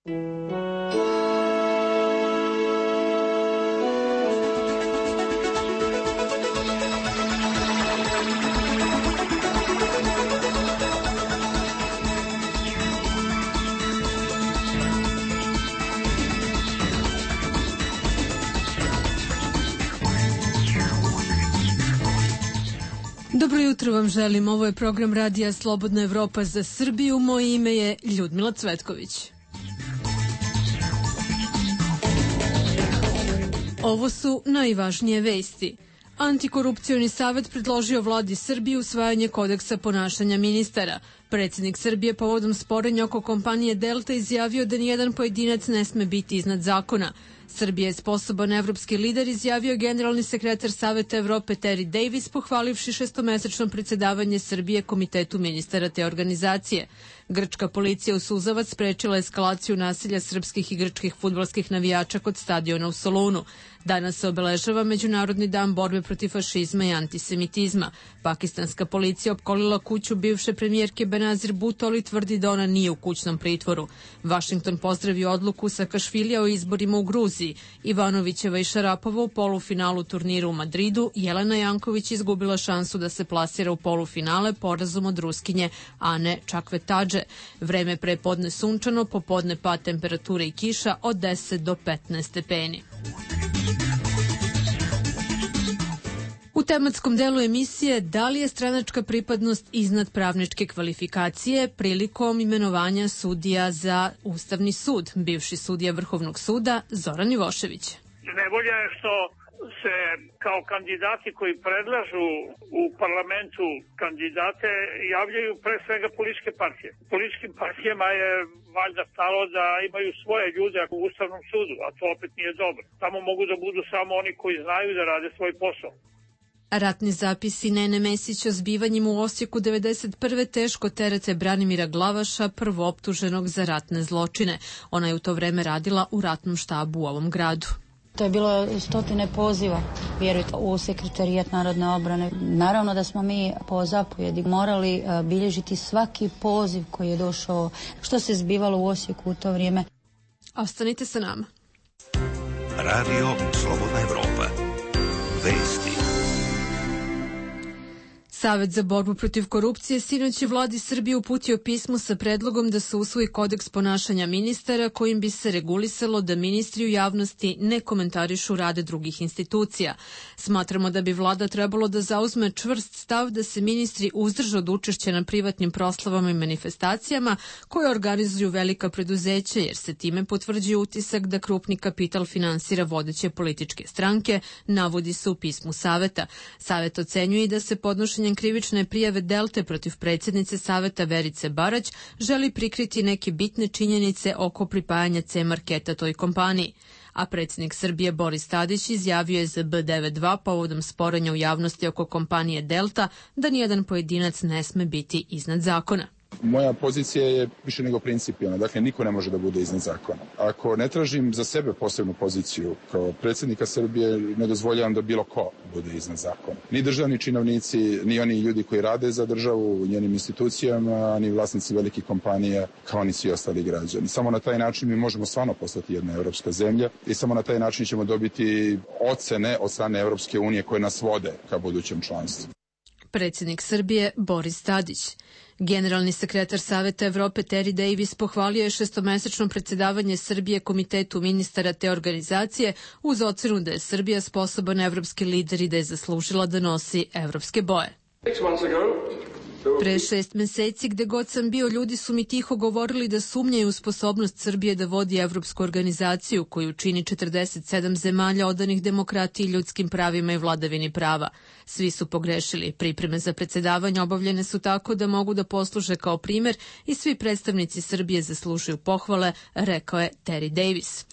Dobro jutro vam želim, ovo je program radija Slobodna Evropa za Srbiju, moje ime je Ljudmila Cvetković. Ovo su najvažnije vesti. Antikorupcioni savet predložio vladi Srbije usvajanje kodeksa ponašanja ministara. Predsjednik Srbije povodom sporenja oko kompanije Delta izjavio da nijedan pojedinac ne sme biti iznad zakona. Srbija je sposoban evropski lider, izjavio generalni sekretar Saveta Evrope Terry Davis, pohvalivši šestomesečno predsjedavanje Srbije Komitetu ministara te organizacije. Grčka policija u Suzavac sprečila eskalaciju nasilja srpskih i grčkih fudbalskih navijača kod stadiona u Solunu. Danas se obeležava Međunarodni dan borbe protiv fašizma i antisemitizma. Pakistanska policija opkolila kuću bivše premijerke Benazir Bhutto, ali tvrdi da ona nije u kućnom pritvoru. Vašington pozdravio odluku Sakašvilija o izborima u Gruziji. Ivanovićeva i Šarapova u polufinalu turnira u Madridu. Jelena Janković izgubila šansu da se plasira u polufinale porazom od Ruskinje Ane Čakvetadže. Vreme prepodne sunčano, popodne pad temperature i kiša od 10 do 15 stepeni. U tematskom delu emisije da li je stranačka pripadnost iznad pravničke kvalifikacije prilikom imenovanja sudija za Ustavni sud, bivši sudija Vrhovnog suda Zoran Ivošević. Nevolja je što se kao kandidati koji predlažu u parlamentu kandidate javljaju pre svega političke partije. Političkim partijama je valjda stalo da imaju svoje ljude u Ustavnom sudu, a to opet nije dobro. Tamo mogu da budu samo oni koji znaju da rade svoj posao. Ratni zapisi Nene Mesić o zbivanjima u Osijeku 1991. teško terete Branimira Glavaša, prvooptuženog za ratne zločine. Ona je u to vreme radila u ratnom štabu u ovom gradu. To je bilo stotine poziva, vjerujte, u Sekretarijat narodne obrane. Naravno da smo mi po zapovjedi morali bilježiti svaki poziv koji je došao, što se zbivalo u Osijeku u to vrijeme. Ostanite sa nama. Radio Slobodna Evropa. Vesti. Savet za borbu protiv korupcije sinoć je vladi Srbije uputio pismo sa predlogom da se usvoji kodeks ponašanja ministara kojim bi se regulisalo da ministri u javnosti ne komentarišu rade drugih institucija. Smatramo da bi vlada trebalo da zauzme čvrst stav da se ministri uzdrže od učešća na privatnim proslavama i manifestacijama koje organizuju velika preduzeća, jer se time potvrđuje utisak da krupni kapital finansira vodeće političke stranke, navodi se u pismu Saveta. Savet ocenjuje i da se podnošenje krivične prijave Delte protiv predsjednice Saveta Verice Barać želi prikriti neke bitne činjenice oko pripajanja C-marketa toj kompaniji. A predsjednik Srbije Boris Tadić izjavio je za B92 povodom sporenja u javnosti oko kompanije Delta da nijedan pojedinac ne sme biti iznad zakona. Moja pozicija je više nego principijalna, dakle niko ne može da bude iznad zakona. Ako ne tražim za sebe posebnu poziciju kao predsjednika Srbije, ne dozvoljavam da bilo ko bude iznad zakona. Ni državni činovnici, ni oni ljudi koji rade za državu u njenim institucijama, ni vlasnici velikih kompanija, kao ni svi ostali građani. Samo na taj način mi možemo stvarno postati jedna evropska zemlja i samo na taj način ćemo dobiti ocene od strane Evropske unije koje nas vode ka budućem članstvu. Predsjednik Srbije Boris Tadić. Generalni sekretar Saveta Evrope Terry Davis pohvalio je šestomesečno predsjedavanje Srbije Komitetu ministara te organizacije uz ocenu da je Srbija sposoban evropski lider i da je zaslužila da nosi evropske boje. Pre 6 meseci, gde god sam bio, ljudi su mi tiho govorili da sumnjaju u sposobnost Srbije da vodi evropsku organizaciju koju čini 47 zemalja odanih demokratiji, ljudskim pravima i vladavini prava. Svi su pogrešili. Pripreme za predsjedavanje obavljene su tako da mogu da posluže kao primer i svi predstavnici Srbije zaslužuju pohvale, rekao je Terry Davis.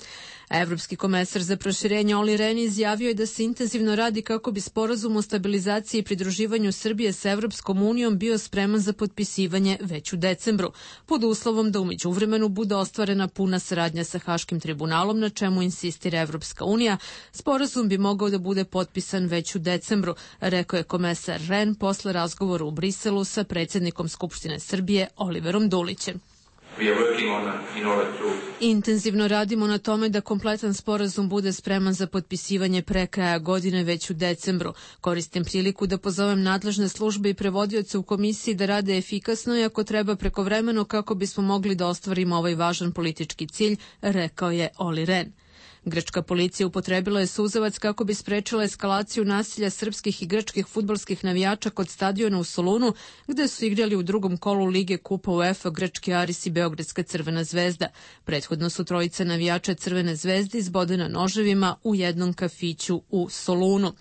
Evropski komesar za proširenje Olli Rehn izjavio je da se intenzivno radi kako bi sporazum o stabilizaciji i pridruživanju Srbije sa Evropskom unijom bio spreman za potpisivanje već u decembru, pod uslovom da u međuvremenu bude ostvarena puna saradnja sa Haškim tribunalom, na čemu insistira Evropska unija. Sporazum bi mogao da bude potpisan već u decembru, rekao je komesar Rehn posle razgovora u Briselu sa predsjednikom Skupštine Srbije Oliverom Dulićem. Intenzivno radimo na tome da kompletan sporazum bude spreman za potpisivanje pre kraja godine već u decembru. Koristim priliku da pozovem nadležne službe i prevodioce u komisiji da rade efikasno i ako treba prekovremeno kako bismo mogli da ostvarimo ovaj važan politički cilj, rekao je Olli Rehn. Grčka policija upotrebila je suzavac kako bi sprečila eskalaciju nasilja srpskih i grčkih fudbalskih navijača kod stadiona u Solunu, gde su igrali u drugom kolu Lige Kupa UEFA grčki Aris i Beogradska Crvena zvezda. Prethodno su trojica navijača Crvene zvezde izbodena noževima u jednom kafiću u Solunu.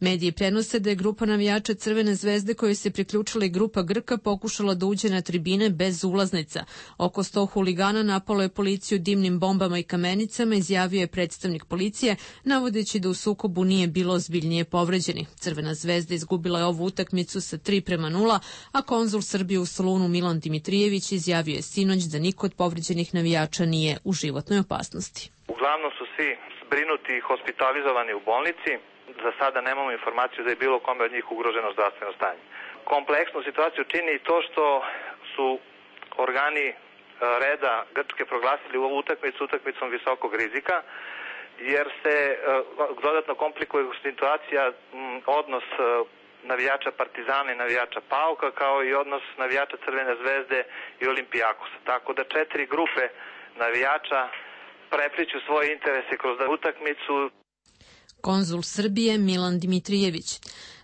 Mediji prenose da je grupa navijača Crvene zvezde kojoj se priključila i grupa Grka pokušala da uđe na tribine bez ulaznica. Oko 100 huligana napalo je policiju dimnim bombama i kamenicama, izjavio je predstavnik policije, navodeći da u sukobu nije bilo ozbiljnije povređenih. Crvena zvezda izgubila je ovu utakmicu sa 3:0, a konzul Srbije u Solunu Milan Dimitrijević izjavio je sinoć da niko od povređenih navijača nije u životnoj opasnosti. Uglavnom su svi zbrinuti i hospitalizovani u bolnici. Za sada nemamo informaciju da je bilo kome od njih ugroženo zdravstveno stanje. Kompleksnu situaciju čini i to što su organi reda Grčke proglasili ovu utakmicom visokog rizika, jer se dodatno komplikuje situacija, odnos navijača Partizana i navijača Pauka, kao i odnos navijača Crvene zvezde i Olimpijakosa. Tako da 4 grupe navijača prepliću svoje interese kroz utakmicu. Konzul Srbije Milan Dimitrijević.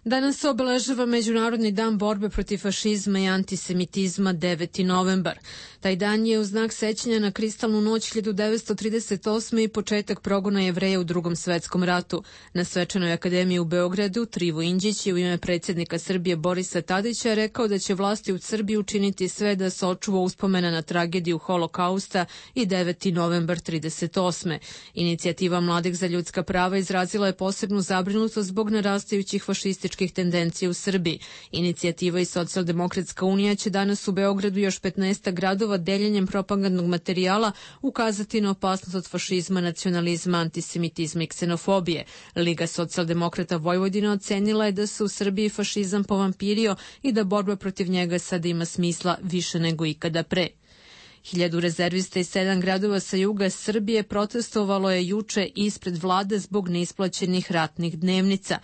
Danas se obeležava Međunarodni dan borbe protiv fašizma i antisemitizma 9. novembar. Taj dan je u znak sećanja na kristalnu noć 1938. i početak progona Jevreja u Drugom svetskom ratu. Na Svečanoj akademiji u Beogradu Trivo Inđić je u ime predsjednika Srbije Borisa Tadića rekao da će vlasti u Srbiji učiniti sve da se očuva uspomena na tragediju Holokausta i 9. novembar 1938. Inicijativa Mladih za ljudska prava izrazila je posebnu zabrinutost zbog narastajućih fašističkih tendencija u Srbiji. Inicijativa i Socijaldemokratska unija će danas u Beogradu još 15 gradova deljenjem propagandnog materijala ukazati na opasnost od fašizma, nacionalizma, antisemitizma i ksenofobije. Liga socijaldemokrata Vojvodine ocenila je da se u Srbiji fašizam povampirio i da borba protiv njega sada ima smisla više nego ikada pre. 1000 rezervista iz 7 gradova sa juga Srbije protestovalo je juče ispred vlade zbog neisplaćenih ratnih dnevnica.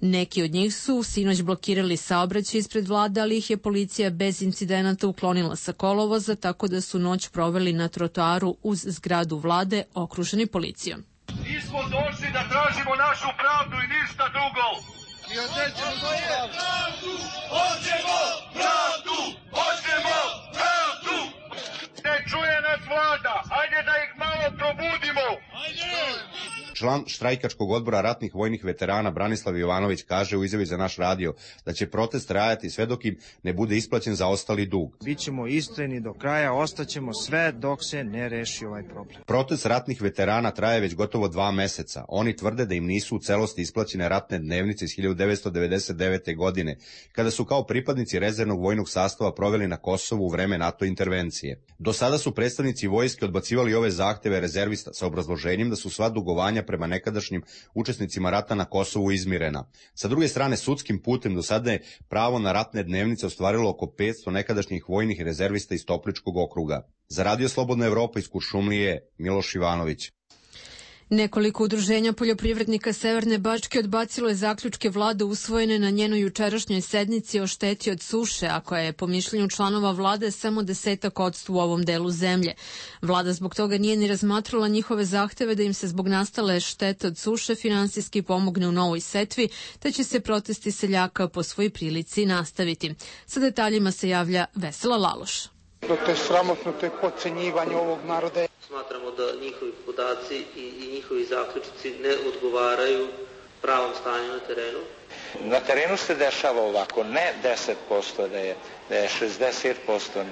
Neki od njih su sinoć blokirali saobraćaj ispred vlade, ali ih je policija bez incidenata uklonila sa kolovoza, tako da su noć proveli na trotoaru uz zgradu vlade okruženi policijom. Mi smo došli da tražimo našu pravdu i ništa drugo. Mi hoćemo pravdu, hoćemo pravdu, hoćemo pravdu. Ne čuje nas vlada, hajde da ih malo probudimo. Član štrajkačkog odbora ratnih vojnih veterana Branislav Jovanović kaže u izjavi za naš radio da će protest trajati sve dok im ne bude isplaćen zaostali dug. Bićemo istrajni do kraja, ostaćemo sve dok se ne reši ovaj problem. Protest ratnih veterana traje već gotovo 2 meseca. Oni tvrde da im nisu u celosti isplaćene ratne dnevnice iz 1999. godine, kada su kao pripadnici rezervnog vojnog sastava proveli na Kosovu u vreme NATO intervencije. Do sada su predstavnici vojske odbacivali ove zahteve rezervista sa obrazloženjem da su sva dugovanja prema nekadašnjim učesnicima rata na Kosovu izmirena. Sa druge strane, sudskim putem do sada je pravo na ratne dnevnice ostvarilo oko 500 nekadašnjih vojnih rezervista iz Topličkog okruga. Za Radio Slobodna Evropa iz Kuršumlije, Miloš Ivanović. Nekoliko udruženja poljoprivrednika Severne Bačke odbacilo je zaključke vlade usvojene na njenoj jučerašnjoj sednici o šteti od suše, a koja je po mišljenju članova vlade samo 10% u ovom delu zemlje. Vlada zbog toga nije ni razmatrala njihove zahteve da im se zbog nastale štete od suše finansijski pomogne u novoj setvi, te će se protesti seljaka po svoj prilici nastaviti. Sa detaljima se javlja Vesela Laloš. To je sramotno, to je podcenjivanje ovog naroda. Smatramo da njihovi podaci i njihovi zaključci ne odgovaraju pravom stanju na terenu. Na terenu se dešava ovako, ne 10%, da je 60%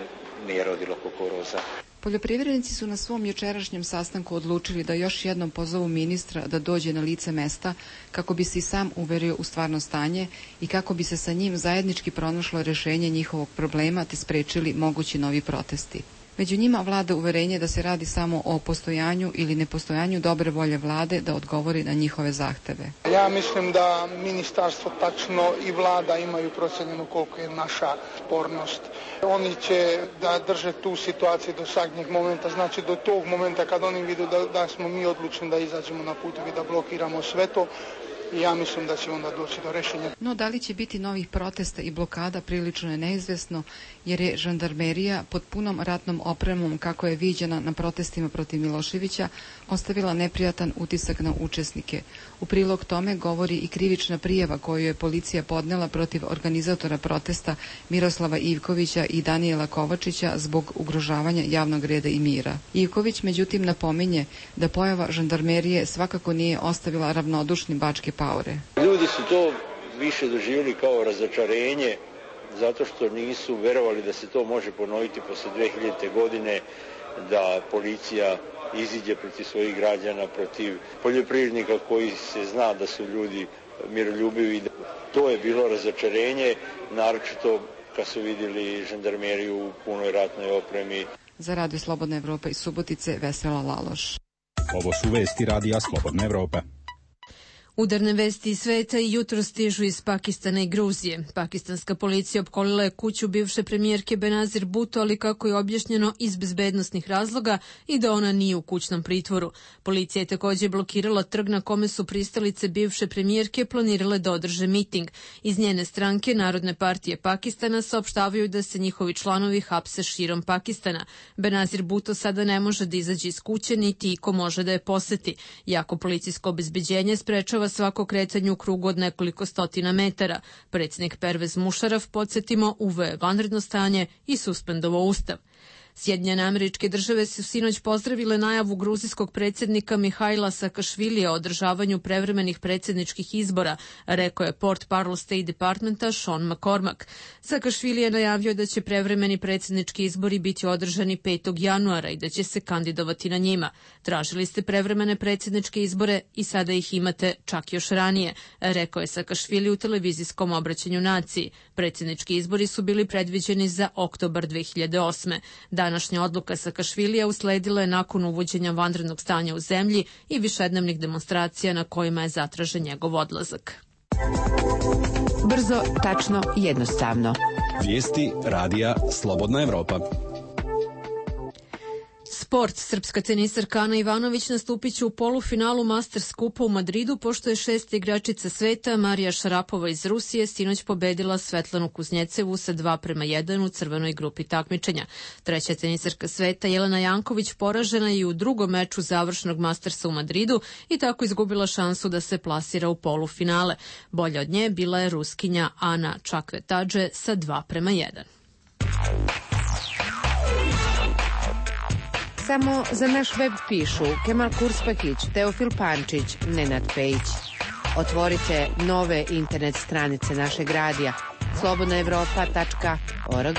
nije rodilo kukuruza. Poljoprivrednici su na svom jučerašnjem sastanku odlučili da još jednom pozovu ministra da dođe na lice mesta kako bi se i sam uverio u stvarno stanje i kako bi se sa njim zajednički pronašlo rešenje njihovog problema te sprečili mogući novi protesti. Među njima vlada uverenje da se radi samo o postojanju ili nepostojanju dobre volje vlade da odgovori na njihove zahteve. Ja mislim da ministarstvo tačno i vlada imaju procenjeno koliko je naša spornost. Oni će da drže tu situaciju do zadnjeg momenta, znači do tog momenta kad oni vidu da smo mi odlučni da izađemo na put i da blokiramo sve to. I ja mislim da će onda doći do rešenja. No, da li će biti novih protesta i blokada prilično je neizvesno, jer je žandarmerija pod punom ratnom opremom, kako je viđena na protestima protiv Miloševića, ostavila neprijatan utisak na učesnike. U prilog tome govori i krivična prijava koju je policija podnela protiv organizatora protesta Miroslava Ivkovića i Danijela Kovačića zbog ugrožavanja javnog reda i mira. Ivković međutim napominje da pojava žandarmerije svakako nije ostavila ravnodušni Bačke Paore. Ljudi su to više doživjeli kao razočarenje zato što nisu verovali da se to može ponoviti posle 2000. godine, da policija iziđe protiv svojih građana, protiv poljoprivrednika koji se zna da su ljudi miroljubivi. To je bilo razočarenje, naročito kad su vidjeli žandarmeriju u punoj ratnoj opremi. Za Radio Slobodna Evropa iz Subotice, Vesela Laloš. Ovo su vesti Radija Slobodna Evropa. Udarne vesti iz sveta i jutro stižu iz Pakistana i Gruzije. Pakistanska policija opkolila je kuću bivše premijerke Benazir Bhutto, ali kako je objašnjeno iz bezbednosnih razloga i da ona nije u kućnom pritvoru. Policija je također blokirala trg na kome su pristalice bivše premijerke planirale da održe miting. Iz njene stranke Narodne partije Pakistana saopštavaju da se njihovi članovi hapse širom Pakistana. Benazir Bhutto sada ne može da izađe iz kuće, niti iko može da je poseti. Jako policijsko obezbeđenje sprečava svako kretanje u krugu od nekoliko stotina metara. Predsjednik Pervez Mušaraf, podsjetimo, uveo je vanredno stanje i suspendovao ustav. Sjedinjene Američke Države su sinoć pozdravile najavu gruzijskog predsjednika Mihajla Sakašvilija o održavanju prevremenih predsjedničkih izbora, rekao je Portparol State Departmenta Sean McCormack. Sakašvili je najavio da će prevremeni predsjednički izbori biti održani 5. januara i da će se kandidovati na njima. Tražili ste prevremene predsjedničke izbore i sada ih imate čak još ranije, rekao je Sakašvili u televizijskom obraćanju naciji. Predsjednički izbori su bili predviđeni za oktobar 2008. Današnja odluka Sakašvilija usledila je nakon uvođenja vanrednog stanja u zemlji i višednevnih demonstracija na kojima je zatražen njegov odlazak. Brzo, tačno, jednostavno. Vijesti Radija Slobodna Evropa. Sport. Srpska tenisarka Ana Ivanović nastupit će u polufinalu Masters kupa u Madridu, pošto je šesta igračica sveta Marija Šarapova iz Rusije sinoć pobedila Svetlanu Kuznjecevu sa 2:1 u crvenoj grupi takmičenja. Treća tenisarka sveta Jelena Janković poražena je i u drugom meču završnog Mastersa u Madridu i tako izgubila šansu da se plasira u polufinale. Bolja od nje bila je Ruskinja Ana Čakvetadže sa 2:1. Samo za naš web pišu Kemal Kurspakić, Teofil Pančić, Nenad Pejić. Otvorite nove internet stranice našeg radija slobodnaevropa.org.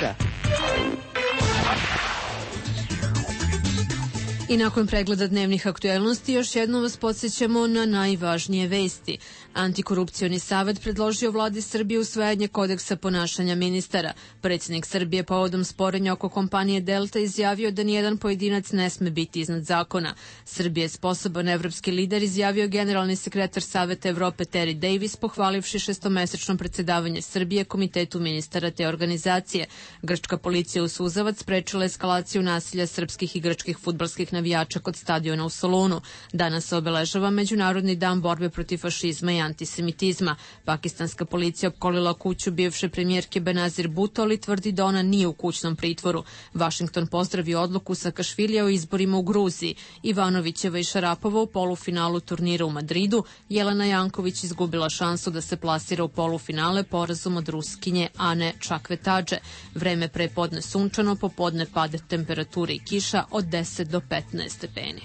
I nakon pregleda dnevnih aktuelnosti još jednom vas podsjećamo na najvažnije vesti. Antikorupcioni savet predložio vladi Srbije usvajanje kodeksa ponašanja ministara. Predsjednik Srbije povodom sporenja oko kompanije Delta izjavio da nijedan pojedinac ne sme biti iznad zakona. Srbije je sposoban evropski lider, izjavio generalni sekretar Saveta Evrope Terry Davis, pohvalivši šestomesečno predsjedavanje Srbije Komitetu ministara te organizacije. Grčka policija u Suzavac sprečila eskalaciju nasilja srpskih i grčkih fudbalskih navijača kod stadiona u Solunu. Danas se obeležava Međunarodni dan borbe protiv fašizma i antisemitizma. Pakistanska policija opkolila kuću bivše premijerke Benazir Bhutto, ali tvrdi da ona nije u kućnom pritvoru. Washington pozdravio odluku Sakašvilija o izborima u Gruziji. Ivanovićeva i Šarapova u polufinalu turnira u Madridu. Jelena Janković izgubila šansu da se plasira u polufinale porazom od Ruskinje Ane Čakvetadže. Vreme prepodne sunčano, popodne pade temperature i kiša od 10 do 15 stepeni.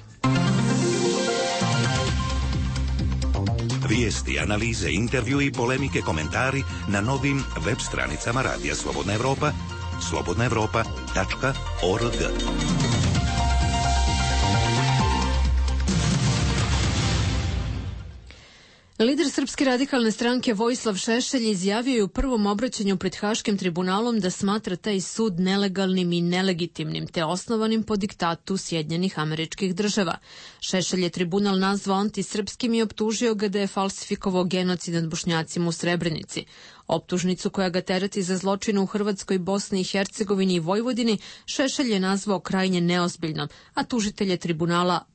Vijesti, analize, intervju i polemike, komentari na novim web stranicama Radija Slobodna Evropa, slobodnaevropa.org. Lider Srpske radikalne stranke Vojislav Šešelj izjavio je u prvom obraćanju pred Haškim tribunalom da smatra taj sud nelegalnim i nelegitimnim te osnovanim po diktatu Sjedinjenih Američkih Država. Šešelj je tribunal nazvao antisrpskim i optužio ga da je falsifikovao genocid nad Bošnjacima u Srebrenici. Optužnicu koja ga tereti za zločine u Hrvatskoj, Bosni i Hercegovini i Vojvodini Šešelj je nazvao krajnje neozbiljnom, a tužitelj je tribunala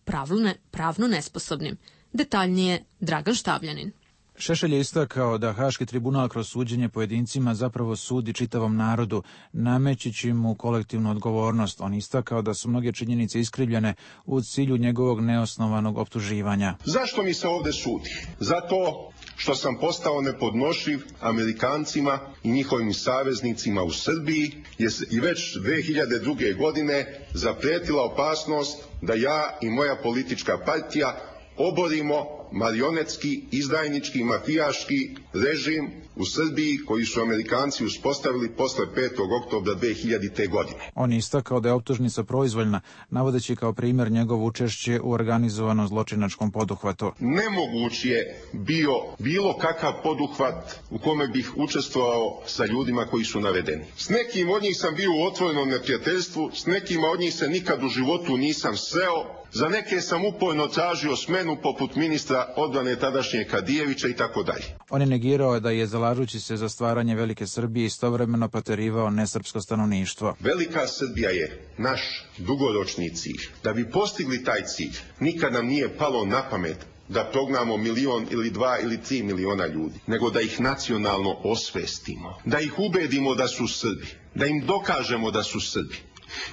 pravno nesposobnim. Detaljnije Dragan Štavljanin. Šešelj je istakao da Haški tribunal kroz suđenje pojedincima zapravo sudi čitavom narodu, namećući mu kolektivnu odgovornost. On istakao da su mnoge činjenice iskrivljene u cilju njegovog neosnovanog optuživanja. Zašto mi se ovde sudi? Zato što sam postao nepodnošljiv Amerikancima i njihovim saveznicima u Srbiji, jer i već 2002. godine zapretila opasnost da ja i moja politička partija oborimo marionetski, izdajnički, mafijaški režim u Srbiji koji su Amerikanci uspostavili posle 5. oktobra 2000. godine. On je istakao da je optužnica proizvoljna, navodeći kao primjer njegovo učešće u organizovanom zločinačkom poduhvatu. Nemoguć je bio bilo kakav poduhvat u kome bih učestvovao sa ljudima koji su navedeni. S nekim od njih sam bio u otvorenom neprijateljstvu, s nekima od njih se nikad u životu nisam sreo, za neke sam uporno tražio smenu poput ministra odbrane tadašnje Kadijevića i tako dalje. On je negirao da je, zalažući se za stvaranje Velike Srbije, istovremeno proterivao nesrpsko stanovništvo. Velika Srbija je naš dugoročni cilj. Da bi postigli taj cilj, nikad nam nije palo na pamet da prognamo 1 ili 2 ili 3 miliona ljudi, nego da ih nacionalno osvestimo, da ih ubedimo da su Srbi, da im dokažemo da su Srbi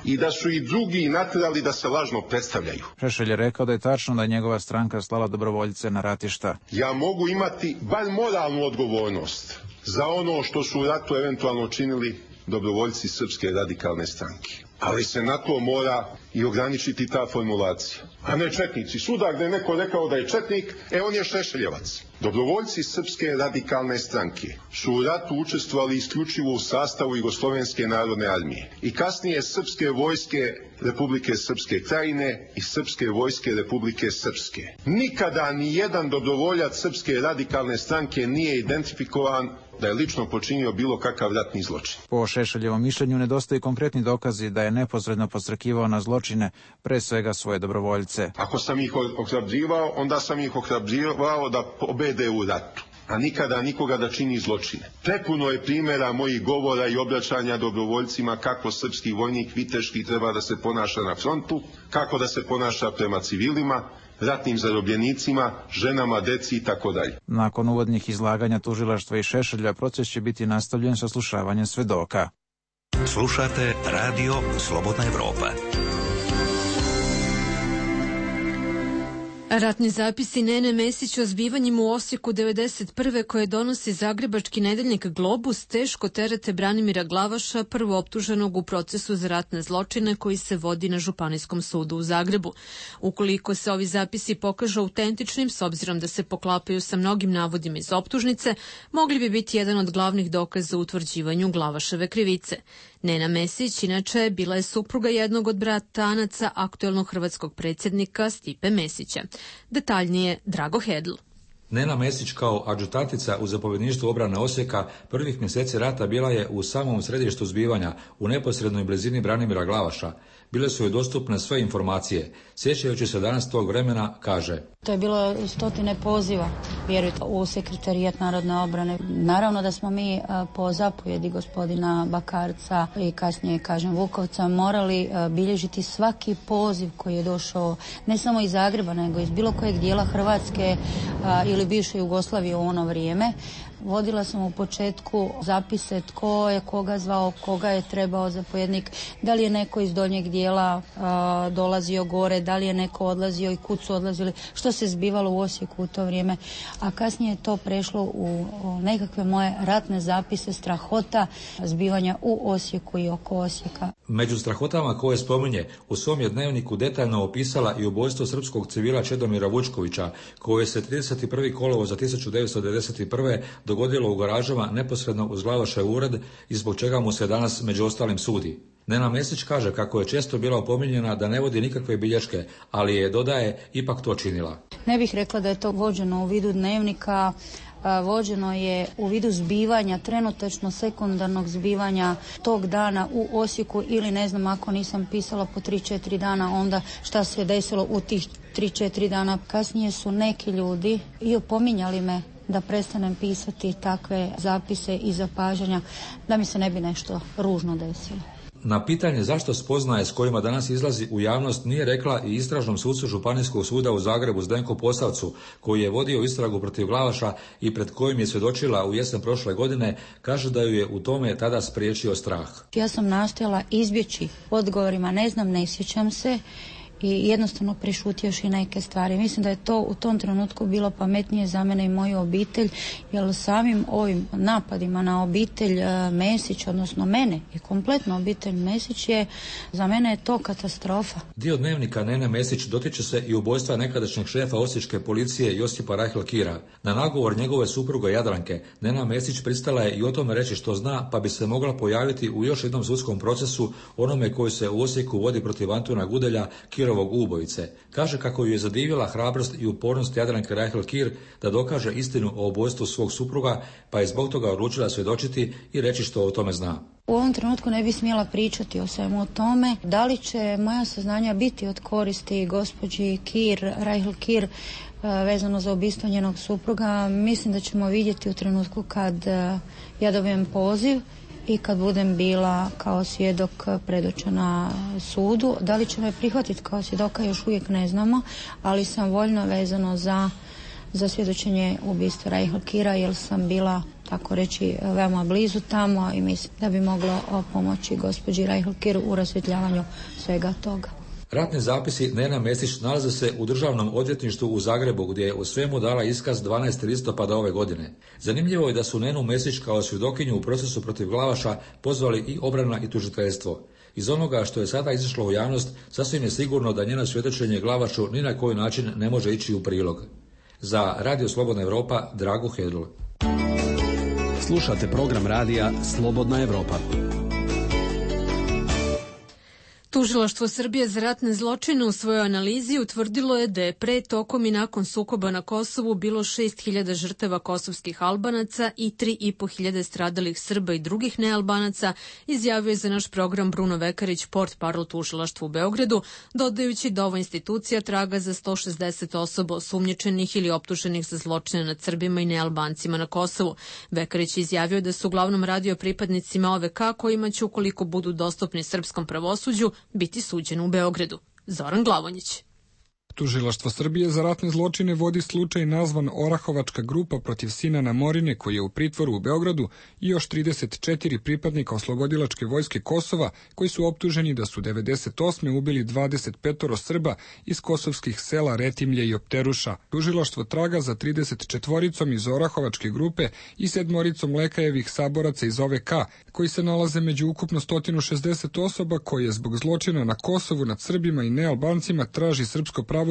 i da su i drugi natjerali da se lažno predstavljaju. Šešelj je rekao da je tačno da je njegova stranka slala dobrovoljce na ratišta. Ja mogu imati bar moralnu odgovornost za ono što su u ratu eventualno činili dobrovoljci Srpske radikalne stranke. Ali se na to mora i ograničiti ta formulacija. A ne četnici. Svuda gde je neko rekao da je četnik, on je Šešeljevac. Dobrovoljci Srpske radikalne stranke su u ratu učestvovali isključivo u sastavu Jugoslovenske narodne armije i kasnije Srpske vojske Republike Srpske Krajine i Srpske vojske Republike Srpske. Nikada ni jedan dobrovoljac Srpske radikalne stranke nije identifikovan da je lično počinio bilo kakav ratni zločin. Po Šešeljevom mišljenju nedostaju konkretni dokazi da je neposredno podstrekivao na zločine, pre svega svoje dobrovoljce. Ako sam ih ohrabrivao, onda sam ih ohrabrivao da pobede u ratu, a nikada nikoga da čini zločine. Prepuno je primjera mojih govora i obraćanja dobrovoljcima kako srpski vojnik viteški treba da se ponaša na frontu, kako da se ponaša prema civilima, ratnim zarobljenicima, ženama, deci i tako dalje. Nakon uvodnih izlaganja tužilaštva i Šešelja, proces će biti nastavljen sa slušavanjem svedoka. Slušate Radio Slobodna Evropa. Ratni zapisi Nene Mesić o zbivanjima u Osijeku 1991. koje donosi zagrebački nedeljnik Globus teško terete Branimira Glavaša, prvooptuženog u procesu za ratne zločine koji se vodi na Županijskom sudu u Zagrebu. Ukoliko se ovi zapisi pokažu autentičnim, s obzirom da se poklapaju sa mnogim navodima iz optužnice, mogli bi biti jedan od glavnih dokaza u utvrđivanju Glavaševe krivice. Nena Mesić, inače, bila je supruga jednog od bratanaca aktuelnog hrvatskog predsjednika Stipe Mesića. Detaljnije Drago Hedl. Nena Mesić kao adjutantica u zapovjedništvu obrane Osijeka prvih mjeseci rata bila je u samom središtu zbivanja, u neposrednoj blizini Branimira Glavaša. Bile su joj dostupne sve informacije. Sjećajući se danas tog vremena, kaže: To je bilo 100 poziva, vjerujte, u sekretarijat narodne obrane. Naravno da smo mi po zapovjedi gospodina Bakarca i kasnije, kažem, Vukovca, morali bilježiti svaki poziv koji je došao ne samo iz Zagreba, nego iz bilo kojeg dijela Hrvatske ili bivše Jugoslavije u ono vrijeme. Vodila sam u početku zapise tko je koga zvao, koga je trebao zapovjednik, da li je neko iz donjeg dijela dolazio gore, da li je neko odlazio i kud su odlazili, što se zbivalo u Osijeku u to vrijeme. A kasnije je to prešlo u nekakve moje ratne zapise strahota zbivanja u Osijeku i oko Osijeka. Među strahotama koje spominje, u svom je dnevniku detaljno opisala i ubojstvo srpskog civila Čedomira Vučkovića, koje se 31. kolovoza 1991. dogodilo u garažama neposredno uz Glavašev ured i zbog čega mu se danas među ostalim sudi. Nena Mesić kaže kako je često bila opominjena da ne vodi nikakve bilješke, ali je, dodaje, ipak to činila. Ne bih rekla da je to vođeno u vidu dnevnika, vođeno je u vidu zbivanja, trenutačno sekundarnog zbivanja tog dana u Osijeku ili ne znam ako nisam pisala po 3-4 dana onda šta se desilo u tih 3-4 dana. Kasnije su neki ljudi i opominjali me da prestanem pisati takve zapise i zapažanja da mi se ne bi nešto ružno desilo. Na pitanje zašto spoznaje s kojima danas izlazi u javnost nije rekla i istražnom sucu Županijskog suda u Zagrebu Zdenku Posavcu, koji je vodio istragu protiv Glavaša i pred kojim je svjedočila u jesen prošle godine, kaže da ju je u tome tada spriječio strah. Ja sam nastojala izbjeći odgovorima, ne znam, ne sjećam se, i jednostavno prešutjevši neke stvari. Mislim da je to u tom trenutku bilo pametnije za mene i moju obitelj, jer samim ovim napadima na obitelj Mesić, odnosno mene i kompletno obitelj Mesić je, za mene je to katastrofa. Dio dnevnika Nene Mesić dotiče se i ubojstva nekadašnjeg šefa osječke policije Josipa Reihl-Kira. Na nagovor njegove supruge Jadranke, Nena Mesić pristala je i o tome reći što zna, pa bi se mogla pojaviti u još jednom sudskom procesu, onome koji se u Osijeku vodi protiv Antuna Gudelja, Kirovog ubojice. Kaže kako ju je zadivila hrabrost i upornost Jadranke Reihl-Kir da dokaže istinu o ubojstvu svog supruga, pa je zbog toga odlučila svjedočiti i reći što o tome zna. U ovom trenutku ne bi smjela pričati o svemu o tome. Da li će moja saznanja biti od koristi gospođi Reihl-Kir vezano za ubistvo njenog supruga, mislim da ćemo vidjeti u trenutku kad ja dobijem poziv i kad budem bila kao svjedok predočena sudu. Da li će me prihvatiti kao svjedoka još uvijek ne znamo, ali sam voljna vezano za svjedočenje ubistva Reihl-Kira, jer sam bila, tako reći, veoma blizu tamo i mislim da bi moglo pomoći gospođi Reihl-Kir u rasvjetljavanju svega toga. Ratni zapisi Nena Mesić nalaze se u Državnom odvjetništvu u Zagrebu, gdje je u svemu dala iskaz 12. listopada ove godine. Zanimljivo je da su Nenu Mesić kao svjedokinju u procesu protiv Glavaša pozvali i obrana i tužiteljstvo. Iz onoga što je sada izašlo u javnost, sasvim je sigurno da njeno svjedočenje Glavašu ni na koji način ne može ići u prilog. Za Radio Slobodna Evropa, Drago Hedl. Slušate program radija Slobodna Evropa. Tužilaštvo Srbije za ratne zločine u svojoj analizi utvrdilo je da je pre, tokom i nakon sukoba na Kosovu bilo 6.000 žrtava kosovskih Albanaca i 3.500 stradalih Srba i drugih nealbanaca, izjavio je za naš program Bruno Vekarić, portparol tužilaštva u Beogradu, dodajući da ova institucija traga za 160 osoba osumnjičenih ili optuženih za zločine nad Srbima i nealbancima na Kosovu. Vekarić izjavio da su uglavnom radio pripadnicima OVK kojima će, ukoliko budu dostupni srpskom pravosuđu, biti suđeno u Beogradu. Zoran Glavonjić. Tužilaštvo Srbije za ratne zločine vodi slučaj nazvan Orahovačka grupa protiv Sinana Morine, koji je u pritvoru u Beogradu, i još 34 pripadnika oslobodilačke vojske Kosova, koji su optuženi da su 98. ubili 25 Srba iz kosovskih sela Retimlje i Opteruša. Tužilaštvo traga za 34 iz Orahovačke grupe i 7 Lekajevih saboraca iz OVK, koji se nalaze među ukupno 160 osoba koje zbog zločina na Kosovu nad Srbima i nealbancima traži srpsko pravosuđe,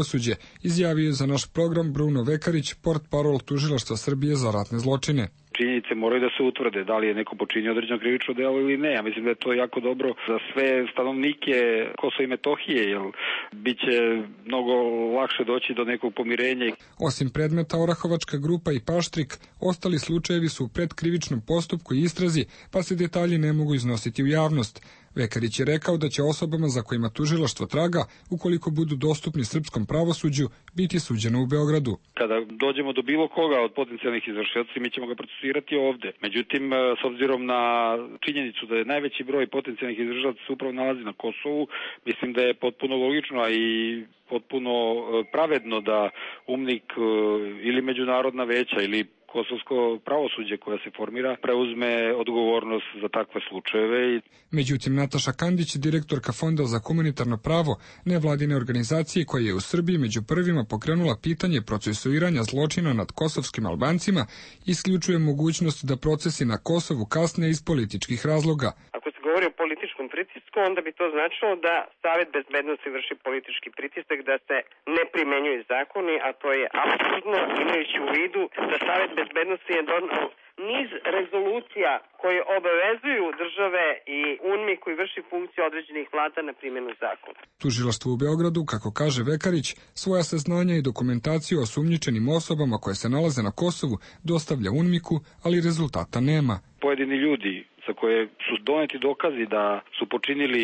izjavio je za naš program Bruno Vekarić, portparol tužilaštva Srbije za ratne zločine. Činjenice moraju da se utvrde, da li je neko počinio određeno krivično delo ili ne. Ja mislim da je to jako dobro za sve stanovnike Kosova i Metohije, jer bit će mnogo lakše doći do nekog pomirenja. Osim predmeta Orahovačka grupa i Paštrik, ostali slučajevi su u predkrivičnom postupku i istrazi, pa se detalji ne mogu iznositi u javnost. Vekarić je rekao da će osobama za kojima tužilaštvo traga, ukoliko budu dostupni srpskom pravosuđu, biti suđeno u Beogradu. Kada dođemo do bilo koga od potencijalnih izvršioca, mi ćemo ga procesirati ovde. Međutim, s obzirom na činjenicu da je najveći broj potencijalnih izvršioca se upravo nalazi na Kosovu, mislim da je potpuno logično i potpuno pravedno da UMNIK ili međunarodna veća ili kosovsko pravosuđe koja se formira preuzme odgovornost za takve slučajeve. Međutim, Nataša Kandić, direktorka Fonda za humanitarno pravo, nevladine organizacije koja je u Srbiji među prvima pokrenula pitanje procesuiranja zločina nad kosovskim Albancima, isključuje mogućnost da procesi na Kosovu kasne iz političkih razloga. Ako se govori o političkom političkom pritisku, onda bi to značilo da Savet bezbednosti vrši politički pritisak da se ne primenjuju zakoni, a to je apsurdno, imajući u vidu da Savet bezbednosti je donao niz rezolucija koje obavezuju države i UNMI koji vrši funkciju određenih vlada na primjenu zakona. Tužilaštvo u Beogradu, kako kaže Vekarić, svoja saznanja i dokumentaciju o osumnjičenim osobama koje se nalaze na Kosovu dostavlja UNMIK-u, ali rezultata nema. Pojedini ljudi za koje su doneti dokazi da su počinili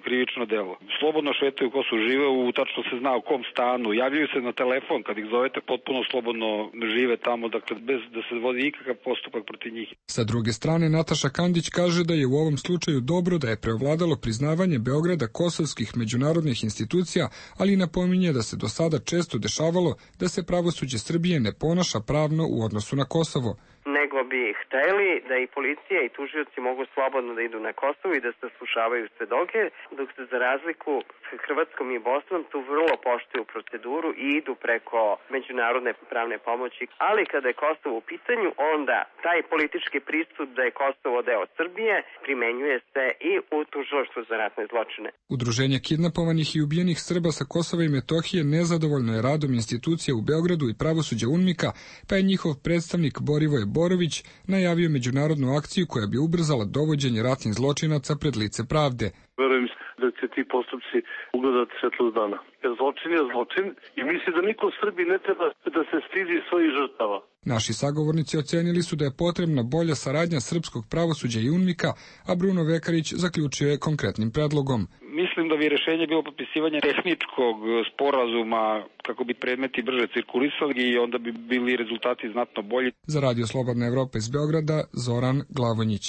krivično delo. Slobodno šetaju ko su žive, tačno se zna u kom stanu, javljaju se na telefon kad ih zovete, potpuno slobodno žive tamo, dakle bez da se vodi ikakav postupak protiv njih. Sa druge strane, Nataša Kandić kaže da je u ovom slučaju dobro da je preovladalo priznavanje Beograda kosovskih međunarodnih institucija, ali napominje da se do sada često dešavalo da se pravosuđe Srbije ne ponaša pravno u odnosu na Kosovo. Nego bi hteli da i policija i tužioci mogu slobodno da idu na Kosovo i da se slušavaju svedoke, dok se za razliku s Hrvatskom i Bosnom tu vrlo poštuju proceduru i idu preko međunarodne pravne pomoći. Ali kada je Kosovo u pitanju, onda taj politički pristup da je Kosovo deo Srbije primenjuje se i u tužilaštvu za ratne zločine. Udruženje kidnapovanih i ubijenih Srba sa Kosova i Metohije nezadovoljno je radom institucija u Beogradu i pravosuđa UNMIK-a, pa je njihov predstavnik Borivoje Borović najavio međunarodnu akciju koja bi ubrzala dovođenje ratnih zločinaca pred lice pravde. Verujem da će ti postupci ugledati svetlost dana. Jer zločin je zločin i misli da niko u Srbiji ne treba da se stidi svojih žrtava. Naši sagovornici ocenili su da je potrebna bolja saradnja srpskog pravosuđa i UNMIK-a, a Bruno Vekarić zaključio je konkretnim predlogom. Mislim da bi rešenje bilo potpisivanje tehničkog sporazuma kako bi predmeti brže cirkulisali i onda bi bili rezultati znatno bolji. Za Radio Slobodna Evropa iz Beograda, Zoran Glavonjić.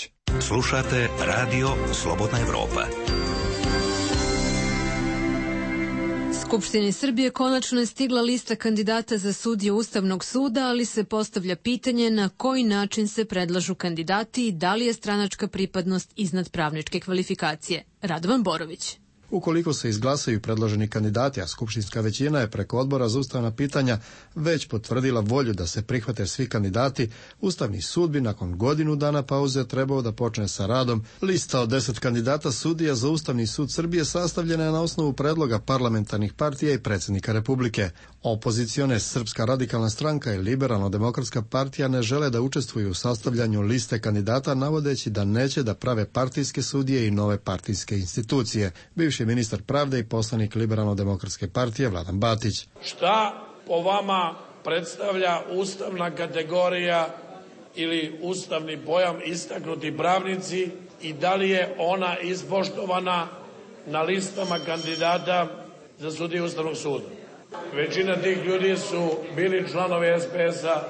Slušate Radio Slobodna Evropa. Skupštini Srbije konačno je stigla lista kandidata za sudije Ustavnog suda, ali se postavlja pitanje na koji način se predlažu kandidati i da li je stranačka pripadnost iznad pravničke kvalifikacije. Radovan Borović. Ukoliko se izglasaju predloženi kandidati, a skupštinska većina je preko Odbora za ustavna pitanja već potvrdila volju da se prihvate svi kandidati, Ustavni sud bi nakon godinu dana pauze trebao da počne sa radom. Lista od 10 kandidata sudija za Ustavni sud Srbije sastavljena je na osnovu predloga parlamentarnih partija i predsjednika Republike. Opozicione Srpska radikalna stranka i Liberalno-demokratska partija ne žele da učestvuju u sastavljanju liste kandidata, navodeći da neće da prave partijske sudije i nove partijske institucije. Bivši ministar pravde i poslanik Liberalno-demokratske partije Vladan Batić. Šta po vama predstavlja ustavna kategorija ili ustavni pojam istaknuti pravnici i da li je ona ispoštovana na listama kandidata za sudije Ustavnog suda? Većina tih ljudi su bili članovi SPS-a,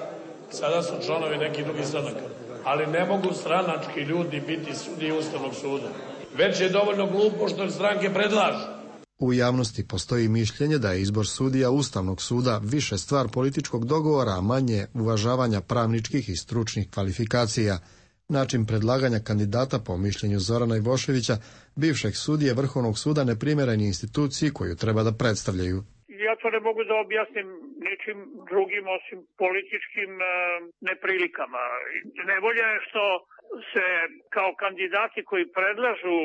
sada su članovi nekih drugih stranaka. Ali ne mogu stranački ljudi biti sudije Ustavnog suda. Već je dovoljno glupo što stranke predlažu. U javnosti postoji mišljenje da je izbor sudija Ustavnog suda više stvar političkog dogovora, a manje uvažavanja pravničkih i stručnih kvalifikacija. Način predlaganja kandidata po mišljenju Zorana Ivoševića, bivšeg sudije Vrhovnog suda, neprimjeren je instituciji koju treba da predstavljaju. Ja to ne mogu da objasnim ničim drugim osim političkim neprilikama. Nevolja je što se kao kandidati koji predlažu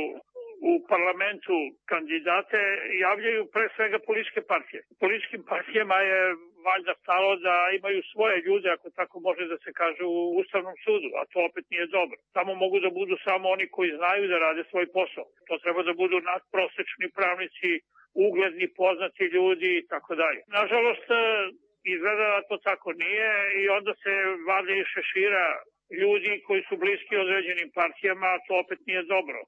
u parlamentu kandidate javljaju pre svega političke partije. Političkim partijama je valjda stalo da imaju svoje ljude, ako tako može da se kaže, u Ustavnom sudu, a to opet nije dobro. Tamo mogu da budu samo oni koji znaju da rade svoj posao. To treba da budu nadprosečni pravnici, ugledni, poznati ljudi i tako dalje. Nažalost, izgleda da to tako nije i onda se vade i šešira ljudi koji su bliski određenim partijama, a to opet nije dobro.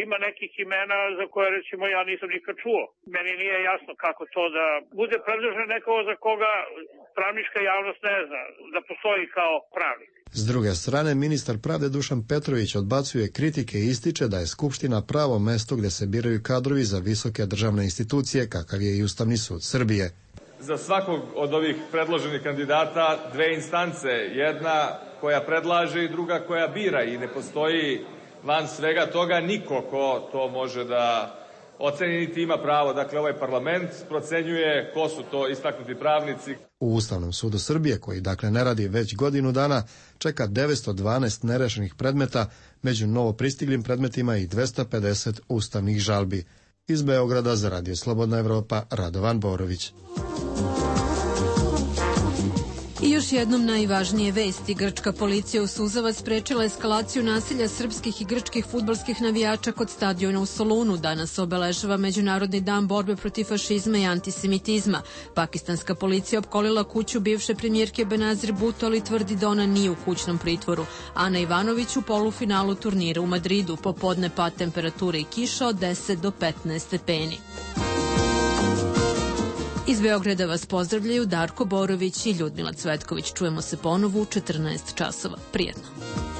Ima nekih imena za koje, recimo, ja nisam nikad čuo. Meni nije jasno kako to da bude predložen nekoga za koga pravnička javnost ne zna da postoji kao pravnik. S druge strane, ministar pravde Dušan Petrović odbacuje kritike i ističe da je Skupština pravo mesto gde se biraju kadrovi za visoke državne institucije, kakav je i Ustavni sud Srbije. Za svakog od ovih predloženih kandidata dve instance, jedna koja predlaže i druga koja bira, i ne postoji van svega toga niko ko to može da oceni niti ima pravo. Dakle, ovaj parlament procenjuje ko su to istaknuti pravnici. U Ustavnom sudu Srbije, koji dakle ne radi već godinu dana, čeka 912 nerešenih predmeta, među novopristiglim predmetima i 250 ustavnih žalbi. Iz Beograda za Radio Slobodna Evropa, Radovan Borović. I još jednom najvažnije vesti. Grčka policija u Suzavac sprečila eskalaciju nasilja srpskih i grčkih fudbalskih navijača kod stadiona u Solunu. Danas obeležava Međunarodni dan borbe protiv fašizma i antisemitizma. Pakistanska policija opkolila kuću bivše premijerke Benazir Bhutto, ali tvrdi da ona nije u kućnom pritvoru. Ana Ivanović u polufinalu turnira u Madridu. Popodne pad temperature i kiša od 10 do 15 stepeni. Iz Beograda vas pozdravljaju Darko Borović i Ljudmila Cvetković. Čujemo se ponovo u 14 časova. Prijetno.